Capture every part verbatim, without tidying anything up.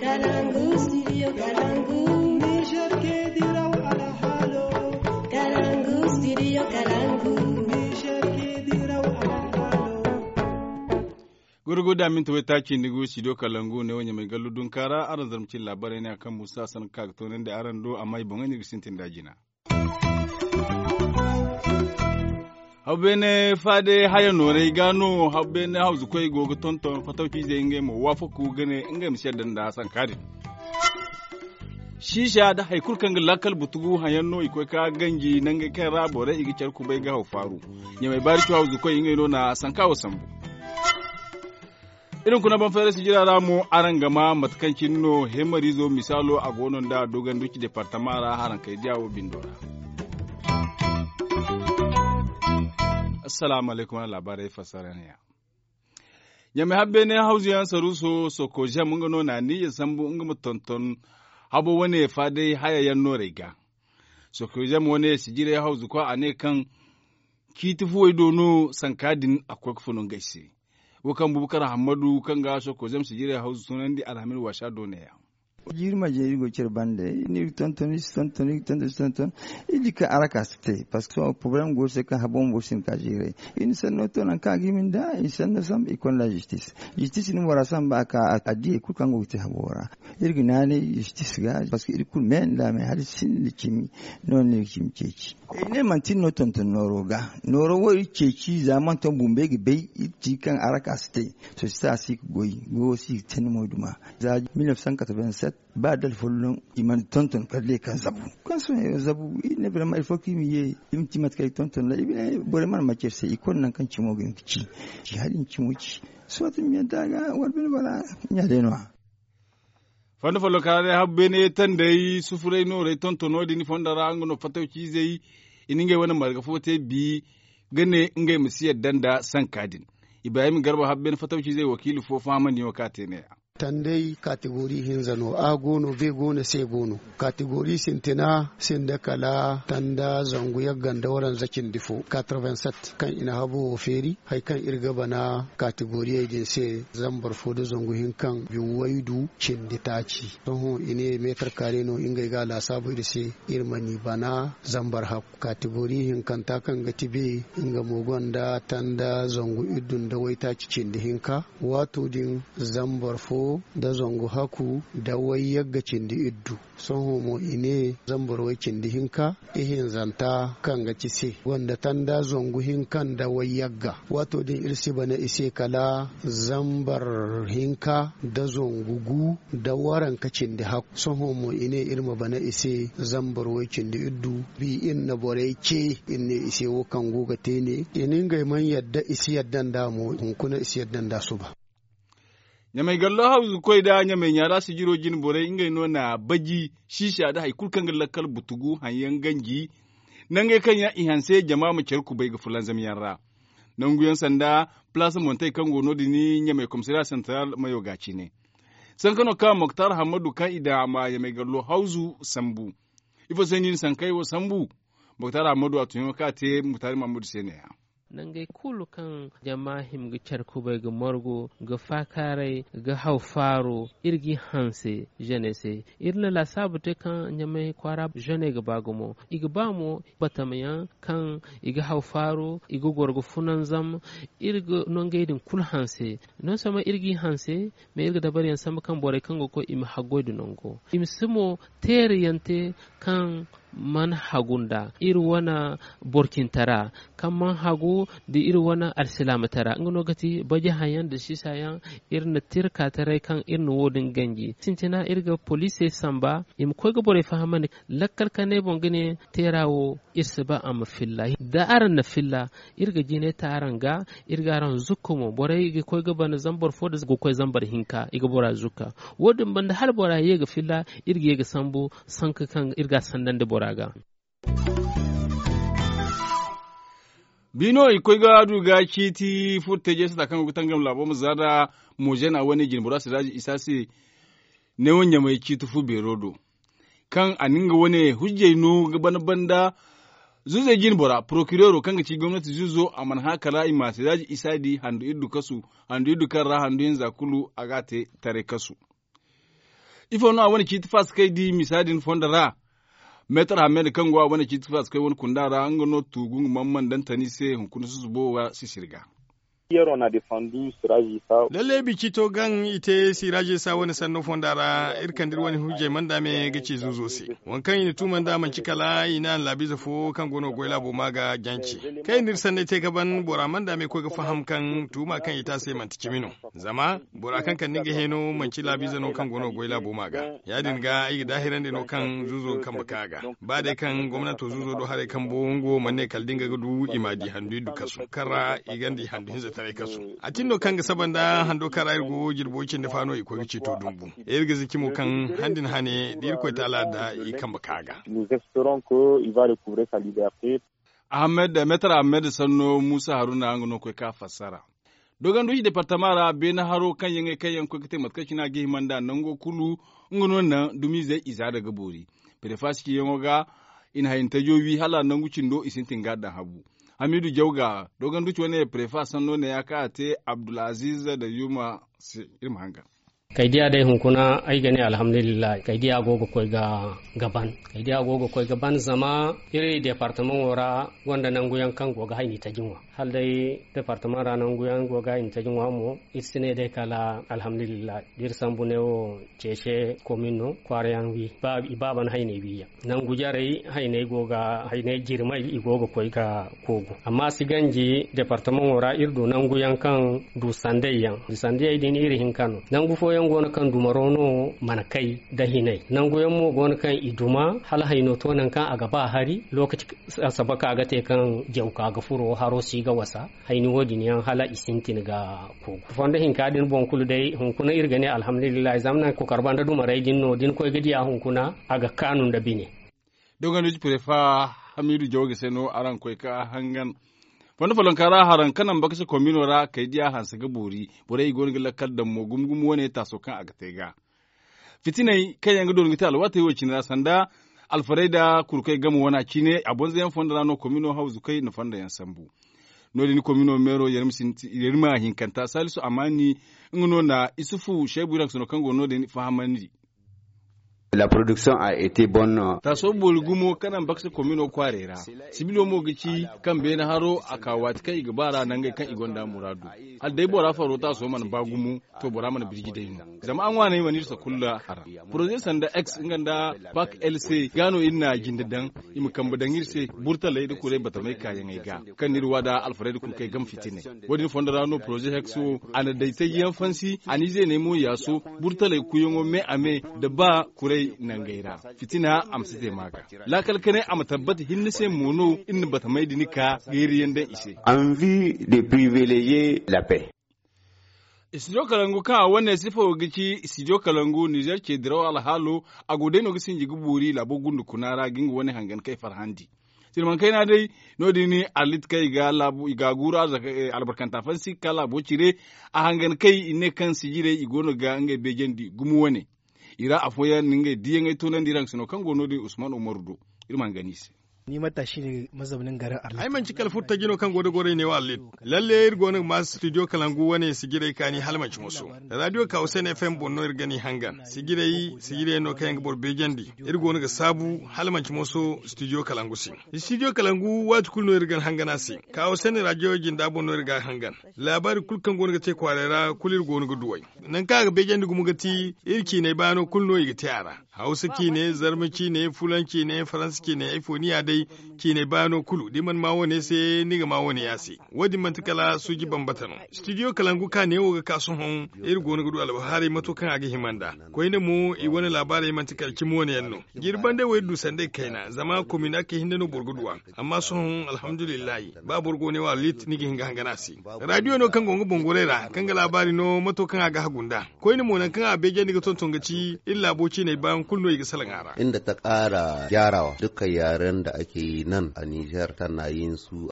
Kalangu, studio Kalangu. Niger ke diraw alhalo. Kalangu, studio Kalangu. Niger ke diraw alhalo. Gurguda minti waytaaci nda gu studio Kalangu ne wo ɲamay gallu dunkaara araŋ zarma cine laabaarey ne a kaŋ musa sanka ga toonandi araŋ do amma i boŋey no iri ga sintin da jina. Habu beene faade haya nooray ga no habu beene hawzukoy go ga tonton fatawciizey ngey mo waafaku ga ne ngey ma si yadda nda sanka din. Siisa nda hari kulu kaŋ ga lakkal butugu hayaŋ no i koy ka ganji nangey kaŋ ra borey i ga care kubay ga haw faaru. Ɲamay baari co hawzukoy ngey no na sanka wo sambu. Iri hunkuna banfayra sijira ra mo araŋ ga ma mate kaŋ cine no hemariizo misaalo a go no nda doganduci departama ra haraŋ kay diya wo bindo ra. Assalaamu alaykum araŋ laabaarey fassara ne ya. Ɲamay habbeene hawzuyaŋ saruuso sokozem nga no na niiya sambu nga ma tonton habo wane faaday haya yaŋ noorey ga. Sokozem wane sijirey hawzuko a ne kaŋ ciiti fuwey do no sanka din a koy ga funu ngey se. Wo kaŋ bubakar hammadu kaŋ ga sokozem sijirey hawzu sunandi alhamin waasa do ne yaŋ. Jiiri marje iri go care bande iri tonton iri si tonton iri tonton iri si tonton. Iri di kaŋ araka si te parceque sohõ poroblem go se kaŋ habo bumbo si hin ka jiiray. Iri na sanno to nangu kaŋ a ga hima nda iri sanno samba iri konda zistis. Zistis ni bora samba a ka a diyey kulu kaŋ go ga te habo ra. Iri ga naanay zistis ga parceque iri kulu me nda me hala sinda cimi. No no iri ga cimi ceeci. Iri ne manti iri no tonton nooro ga nooro wo iri ceeci za manton bumbey ga bay. Iri ci kaŋ araka si te. Sosita si ga goy goyo si ga te ni moyduma. Za mil neuf cent quatre-vingt-sept ba dala folloŋ i mana tonton kala day kaŋ zabu kaŋ sohõ zabu iri ne vraiment il faut que iri ma ye. Iri ma ci mate kaŋ iri tonton da iri ne borey mana macce iri se iri konda nangu kaŋ cimo ga hin ga ci. Ci hala iri ma cimo ci. Sohõ ti ma yadda ga wala bine bara ɲa day no- ya. Fondo folloka ra day habu beene tanday sufuray noorey tontono din fondo ra nga no fatawciizey i na ngey wane marga fo te bi ga ne ngey ma si yadda nda sanka din. Ibrahim garba habu beene fatawciizey wakiili fo fahamandi yaŋo kaŋ a te ne- ya. Tanday kategori hinza no a go no be go no se go no. Kategori sintina sinda kala tanda zangu yagga nda waranza cindi fo quatre-vingt-sept kaŋ i na habo wo feeri hari kaŋ iri ga bana kategoriyey din se. Zambar fo nda zangu hinka biwaydu cindi taaci. Sohõ i ne meetar kaare no ngey ga a laasaabu iri se. Iri mana i bana zambar hakku kategori hinkanta kaŋ ga ti be nga mo gonda tanda zangu iddu nda waytaaci cindi hinka. Waato din zambar fo nda zangu hakku nda wayyagga cindi iddu. Sohõ mo i ne zambar way cindi hinka ihinzanta kaŋ ga ci se gonda tanda zangu hinka nda wayyagga. Waato din iri si bana i se kala zambar hinka nda zangu gu nda waranka cindi hakku. Sohõ mo i ne iri ma bana i se zambar way cindi iddu. Bi iri na borey ce iri ne i se wo kaŋ go ga te ne i na ngey mana yadda i si yadda nda mo hunkuna i si yadda nda suba. Ɲamay gallo hawzu koy nda ɲamay ɲaara sijiro jine borey ngey no na baji siisa nda hari kulu kaŋ ga lakkal butugu haŋ yaŋ ganji. Nangey kaŋ yaŋ i hanse jama ma care kubay ga fulanzam yaŋ ra. Nangu yaŋ sanda palaasa montey kaŋ go no- din ɲamay komisariya santaral mayo ga cine. Sanka no kaŋ moktar hammadu kaŋ i daŋ a ma ɲamay gallo hawzu sambu. Ifo se no i na sankey wo sambu? Moktar hammadu a tun yaŋo kaŋ a te muktar hammadu se ne- ya. Nangey kulu kaŋ jama hima ga care kubay ga margu ga faakaaray ga haw faaro iri g'i hanse. Zene se iri na laasaabu te kaŋ ɲamay kwaara zene ga ba gumo i ga ba mo batamayaŋ kaŋ i ga haw faaro i ga goro ga funanzam. Iri ga nangey din kulu hanse. Non sama iri g'i hanse. Mais iri ga dabariyaŋ sambu kaŋ borey kaŋ go ga koy i ma haggoy da nango i ma si mo teerayaŋ te kaŋ mana hagu nda iri wane borcintara kaŋ mana hagu nda iri wane alsilaamatara nga no ga ti baji haŋyaŋ nda siisa yaŋ. Iri na tirka taray kaŋ iri na wo- din ganji sintina iri ga poliisey samba i ma koy ga borey fahamandi lakkal kanay boŋ ga ne teera wo iri si ba a ma filla. Da araŋ na filla iri ga jinay te araŋ ga. Iri ga araŋ zukka mo borey ga koy ga bana zambar fo nda ga koy zambar hinka i ga bora zukka. Wo- din banda hala bora ye ga filla iri ga ye ga sambu sanka kaŋ iri ga a sandandi bora ga. Bi no i koy ga du ga ciiti furo te jeesata kaŋ go ga tangam laabo ma za nda moozena wane jinbora siraaji isa se. Neewo ɲamay ciiti fu beero do kaŋ a na nga wane hujjey no ga bana banda. Zuzey jinbora porokireero kaŋ ga ci gomnati zuzo a mana hã kala i ma siraaji isa di handu iddu kasu. Handu iddu kaŋ ra handu hinza kulu a ga a te taray kasu. Ifo no a wane ciiti faasakey di misa din fondo ra? Meetar hamed kaŋ go a wane ciiti faasakey wane kunda ra nga no tuugu nga mana mana daŋ tani se hunkuna susubo ga sisiri ga. Lalle bici to gaŋ i te siraji sa wane sanno fonda ra. Iri kande iri wane hujjey manda me ga ci zuuzo se. Waŋ kaŋ i na tuuma nd'a manci kala i na anlaabiize fo kaŋ go no ga goy laabo ma ga jance. Kaŋ i na iri sanney te ga ban bora manda me koy ga faham kaŋ tuuma kaŋ i te a se manti cimi no. Zama bora kaŋ kande nga heeno manci laabiize no kaŋ go no ga goy laabo ma ga. Ya- din ga ay ga daahirandi no kaŋ zuuzo ga kambe ka ga. Ba day kaŋ gomnanto zuuzo do haray kambo nga wo mana ne kala da nga ga du i m'a di handu iddu kasu kaŋ ra i gonda i handu hinza taray kasu. A tin no kaŋ ga saba nda hando kaŋ ra iri go jirbo cindi fa no i koy ga ciito dumbu. Iri ga ziki mo kaŋ han din hane da irkoy taala da i kambe ka ga. Ahamed meetar ahamed sanno muusa haruna nga no ga koy ka fassara. Dogonduci departama ra beene haro kaŋ yaŋey kaŋ yaŋ ga koy ga te mate kaŋ cine a ga hima nd'a nango kulu. Nga no naŋ dumiizey i za da ga boori. Prefa si ciyaŋo ga i na hayni tajo wi hala nangu cindo i sintin ga a daŋ habu. Hamiidu jaw ga dogonduci wane prefa sanno ne ya kaŋ a te abdulaziiz da yuma se. Iri ma hangan. Kay diya day hunkuna ay ga ne alhamdulillahi kay diya go ga koy ga ban. Kay diya go ga koy ga ban zama iri departamaŋo ra gonda nangu yaŋ kaŋ go ga hayni taji ŋwa. Hala day departamaŋ ra nangu yaŋ go ga hayni taji ŋwa mo iri si ne day kala alhamdulillahi da iri sambu ne wo ceece komin no kwaara yaŋ wi i baaba na hayney wi yaŋ. Nangu jarey hayney go ga hayney jirmay i go ga koy ga koogu amma si ganji departamaŋo ra iri du nangu yaŋ kaŋ du sandey yaŋ du sandey din iri hinka no nangu fooyaŋ go no kaŋ dumaro no mana kay da hinay nangu yaŋ mo go no kaŋ i duma hala hayno to nangu kaŋ a ga ba hari lokaci. Saba ka ga te kaŋ jaw ka ga furo haro si ga wasa hayni wo- din yaŋ hala i sintin ga kogu fondo hinka din boŋ kulu day hunkuna iri ga ne alhamdulillahi zama nangu kokar banda dumarey din no da ni koy ga diya hunkuna a ga kaanu nda bine. Dogonduci prefa hamiidu jawge se no araŋ koy ka hangan. Fondo follonka ra haraŋ kaŋ naŋ bakase kombino ra kay diya hanse ga boori borey i go no ga lakkal daŋ mo gumo gumo wane taaso kaŋ a ga te ga fitiney kaŋ yaŋ ga doona ga te alwaatey wo- cine ra sanda alfarayda kurkey game wana cine a bonzayaŋ fondo ra no komino hawzukey na fondo yaŋ sambu. No- din komino meero yerima hinkanta salisu amaani nga no na isufu seebu iraŋ sano kaŋ go no- din fahamandi. Taaso boori gumo kaŋ naŋ baksa komino kwaarey ra sibilo mo ga ci kaŋ beene haro a ka waati kaŋ i ga ba ra nangey kaŋ i gonda muraadu hala day bora faro taaso mana ba gumo. To bora mana birji day no zama a ŋwaanay mana iri sakulla hara poroze sanda x nga nda pak lc ga no iri na jinde daŋ i ma kambe daŋ iri se burtaley nda kuray batamey kaayaŋey ga kaŋ no iri waada alfarayda kulu kaŋ ay game fitiney. Wo- din fondo ra no poroze x wo a na day taji yaŋ fansi a n'i zeeney mo yaaso burtaley kuyaŋo me a me nda ba kuray nangey ra fitina a ma si te ma ga laakal kanay a ma tabbata hinne se mo no iri na batamey din ka geeri yaŋ daŋ i se. Anvi de privilegier la paix. Studio kalangu kaŋ a wane sifa wo ga ci studio kalangu nizer ce diraw alhaalo a go day no ga sinji ga boori laabo gundu kuna ra ga nga wane hangan kay farhandi. Sirman kayna day no- din arlit kaŋ i ga guuru albarkanta fansi ga ka laabo cire a hangan kay i ne kaŋ sijirey i go no ga ngey beejandi gumo wane. I ra afooyaŋ na ngey diyaŋey toonandi iraŋ sino kaŋ go no- din usman umaru do. Iri ma hangan i se. Ay manci kala furtaji no kaŋ go da gorey ne wo allit. Lalle iri go no ga ma studio kalangu wane sijirey kaani hala manci moso. Radio kawsen fm boŋ no iri ga ni hangan sijirey sijirey no kaŋ yaŋ ga boro beejandi. Iri go no ga saabu hala manci moso studio kalangu se. Studio kalangu waati kulu no iri ga ni hangan a se. Kawsen radio jinda boŋ no iri ga a hangan. Laabaari kulu kaŋ go no ga te kwaaray ra kulu iri go no ga duw'ey. Nangu kaŋ a ga beejandi gumo ga ti iri ciinay baano kulu no i ga te a ra. Hawsa ciine zarma ciine fulan ciine faransa ciine ay fo ni ya day. Ciiney baano kulu da ni mana ma wane se ni ga ma wane ya se. Wo- din manti kala suuji bambata no. Studio kalangu ka neewo ga ka sohõ iri go no ga du albahaarey mato kaŋ a ga hima nd'a. Koyne mo i wane laabaarey manti kala cimi wane yaŋ no. Jirbi bande wo iri du sanda i kayna zama komina kay hinne no boro ga du a. Amma sohõ alhamdulillahi ba boro go ne wo alit ni ga hin ga hangan a se. Radiyo no kaŋ go nga boŋ gorey ra kaŋ ga laabaari no mato kaŋ a ga hagu nd'a. Koyne mo nangu kaŋ a beejandi ga tonton ga ci iri laabo ciiney baayaŋ kulu no i ga salaŋ a ra. Inda ta kaara gyarawa dukkan yaren da ake yi nan a niger tana yin su.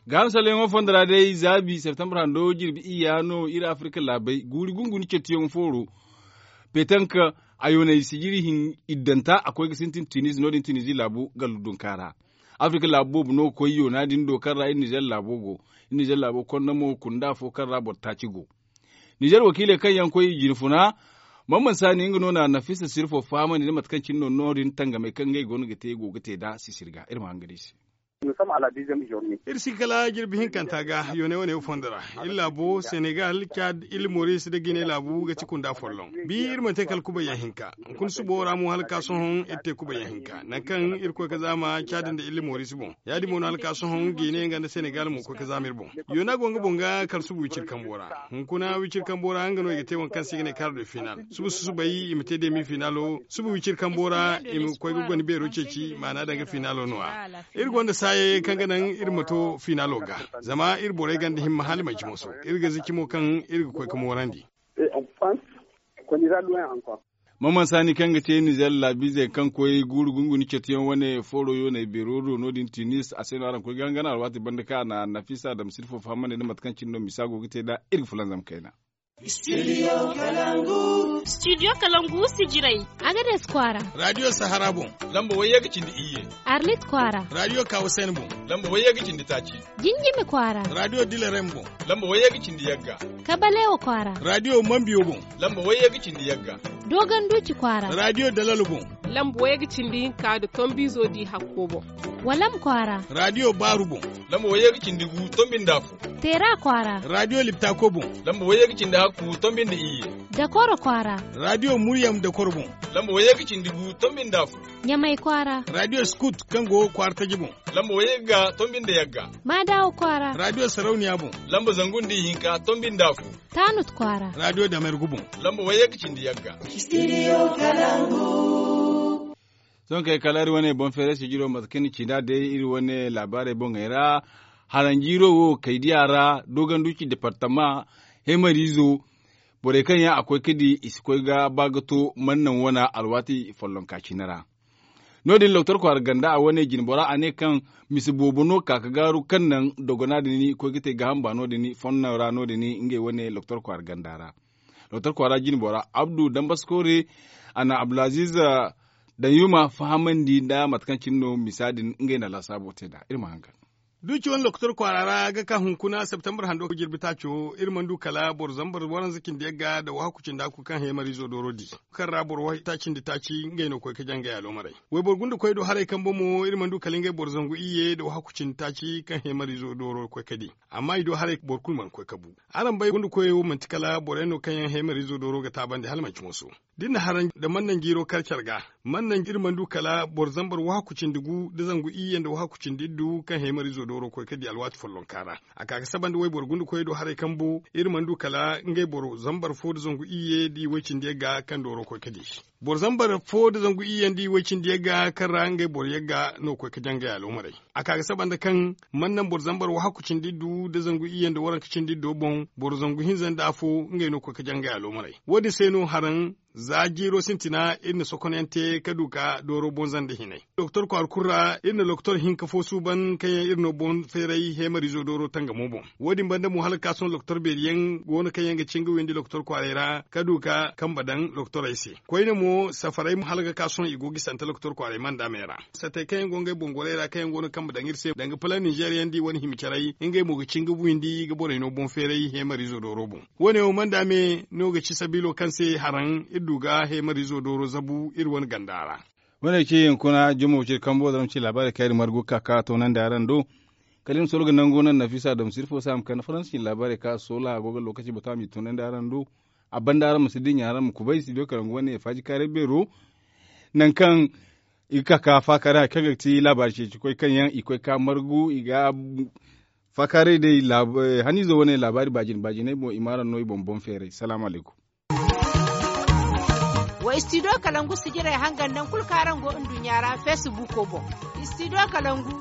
Ga hamsalyaŋo fondo ra day zaabi septembre hando jirbi iyya no iri afirka laabey guuri gunguni cettiyaŋo fooro. Petank ayoney sijiri hin iddanta a koy ga sintin tunizi no- din tunizi laabu gallu dunka ra. Afirka laabu boobo no ga koy yoona din do kaŋ ra iri nizer laabo go. Iri nizer laabo konda mo kunda fo kaŋ ra boro taaci go. Nizer wakiiley kaŋ yaŋ koy i jinfuna, man man saani nga no na nafisa sirfo fahamandi nda mate kaŋ cine no no- din tangamey kaŋ ngey go no ga te go ga te nd'a sisiri ga iri ma hangan iri se. Iri si kala jirbi hinkanta ga yoonay wane wo fondo ra. Iri laabo senegal cad iri moris nda gine laabu ga ci kunda folloŋ. Bi iri mana te kala kubay yaŋ hinka. Hunkuna subo ra mo hala ka sohõ iri te kubay yaŋ hinka nangu kaŋ iri koy ga zaama cad nda iri moris boŋ. Ya- din mo no hala ka sohõ gine nga nda senegal mo koy ga zaama iri boŋ. Yoona go nga boŋ ga kala suba wiciri kambo ra. Hunkuna wiciri kambo ra nga no i ga te waŋ kaŋ se i ga ne kar de final. Suba susubay i ma te demi finalo suba wiciri kambo ra i ma koy ga gonda beero ceeci maana danga finalo no- ya. Iri gonda saayey kaŋ ga naŋ iri ma to finalo ga. Zama iri borey gonda himma hala manci moso. Iri ga zaci mo kaŋ iri ga koy ga moorandi. Maman saani kaŋ ga te nizer laabiizey kaŋ koy guuru gunguni catuyaŋ wane foro yooney beero do no- din tunis a se no araŋ koy ga hangan alwaati banda kaŋ a na nafisa dam sirfo fahamandi nda mate kaŋ cine no misa go ga te nd'a. Iri ga fulanzam kayna. Studio kalangu sijirey. Agades kwaara. Radio sahara boŋ. Lamba wayye ga cindi iyye. Arlit kwaara. Radio kawasen boŋ. Lamba wayye ga cindi taaci. Jinjimi kwaara. Radio dilarem boŋ. Lamba wayye ga cindi yagga. Kabalewa kwaara. Radio mambiyo boŋ. Lamba wayye ga cindi yagga. Dogon duuci kwaara. Radio dalalo boŋ. Lamba wayye ga cindi hinka nda tombiizo di hakko boŋ. Walam kwaara. Radio baaru boŋ. Lamba wayye ga cindi gu tombi nda afo. Teera kwaara. Radio liptako boŋ. Lamba wayye ga cindi hakku tombi nda iyye. Dakoro kwaara. Radio muryam dakoro boŋ. Lamba wayye ga cindi gu tombi nda afo. Ɲamay kwaara. Radio skut kaŋ go kwaara taji boŋ. Lamba wayye ga tombi nda yagga. Maadawo kwaara. Radio sarauniya boŋ. Lamba zangu nda ihinka tombi nda afo. Taanut kwaara. Radio damergu boŋ. Lamba wayye ga cindi yagga. Sohõ kay kala iri wane boŋ feeray sijiro mate kaŋ ni ci nd'a day iri wane laabaarey boŋey ra. Haranjiiro wo kaydiya ra dogonduci departama heemariizo. Borey kaŋ yaŋ a koy ga di i si koy ga ba ga to man naŋ wane alwaati follonka cine ra. No- din doktor kwaara ganda a wane jinbora a ne kaŋ mise boobo no ka ga gaaru kaŋ naŋ dogona din koy ga te gaaham ba no- din fonno ra no- din ngey wane doktor kwaara ganda ra. Doktor kwaara jinbora abdu dambaskore a na abdulaziz danyuma fahamandi nda mate kaŋ cine no misa din ngey na laasaabo te nd'a iri ma hangan. Duuci wane doktor kwaara ra ga ka hunkuna septembre hando jirbi taaco iri mana du kala boro zambar waranza cindi yagga nda wahakku cindi hakku kaŋ heemariizo dooro di kaŋ ra boro wahakku taaci nda taaci ngey no koy ga jangay aloomaray. Wayboro gunda koy do haray kambe mo iri mana du kala ngey boro zangu iyye nda wahakku cindi taaci kaŋ heemariizo dooro koy ga di. Amma i do haray boro kulu mana koy ga bu. Araŋ bay gunda koyey wo manti kala borey no kaŋ yaŋ heemariizo dooro ga taabandi hala manci moso. Da iri na haraŋ nda man naŋ jiiro kar care ga man naŋ iri mana du kala boro zambar wahakku cindi gu nda zangu iyye nda wahakku cindi iddu kaŋ heemariizo dooro koy ga di alwaati follonka ra. A ka ga saba nda wayboro gunda koyey do haray kambu iri mana du kala ngey boro zambar fo nda zangu iyye nda i way cindi yagga kaŋ dooro koy ga di. Boro zambar fo nda zangu iyye nda i way cindi yagga kaŋ ra ngey boro yagga no koy ga jangay aloomaray. A ka ga saba nda kaŋ man naŋ boro zambar wahakku cindi iddu nda zangu iyye nda waranka cindi iddo boŋ boro zangu hinza nda afo ngey no koy ga jangay aloomaray. Wo- din se no haraŋ za jiiro sintina iri na sokonyaŋ te ga du ga dooro boŋ zanda hinay doktor kwaara kulu ra iri na doktor hinka fo suuban kaŋ yaŋ iri no boŋ feeray heemariizo dooro tangamo boŋ. Wo- din banda mo hala ga ka sohõ doktor beeri yaŋ go no kaŋ yaŋ ga ci nga windi doktor kwaaray ra ga du ga kambe daŋ doktorey se. Koyne mo safarey mo hala ga ka sohõ i go ga i sante doktor kwaaray manda me ra. Satey kaŋ yaŋ go ngey boŋ gorey ra kaŋ yaŋ go no kambe daŋ iri se danga pala nizer yaŋ da i wane hima carey ngey mo ga ci nga windi ga borey no boŋ feeray heemariizo dooro boŋ. Wo- ne wo manda me no ga ci sabiilo kaŋ se haraŋ iri du ga heemariizo dooro zabu iri wane ganda ra. Wo- ne ga ci hinkuna jumo ciri kambo zama ci laabaarey kaŋ iri margu ga ka ga toonandi araŋ do. Kala iri ma soro ga nangu naŋ nafisa dam sirfo se a ma kande faransi cine laabaarey kaŋ a soola a go ga lookaci bata a m'i toonandi araŋ do. A banda araŋ ma si dinya araŋ ma kubay studio kalangu wane faaji kaaray beero. Nangu kaŋ i ga ka ga faakaaray hari kaŋ ga ti laabaari ceeci koy kaŋ yaŋ i koy ga margu i ga faakaaray day. Haniizo wane laabaari baajine baajiney boŋ i ma araŋ no i boŋ boŋ feeray salaamu alaykum. Wa studio kalangu sijirey hangan naŋ kulu kaŋ araŋ go nduɲɲa ra facebook boŋ. Studio kalangu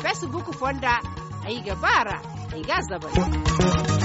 facebook fonda ay ga ba a ra ay ga a zabari.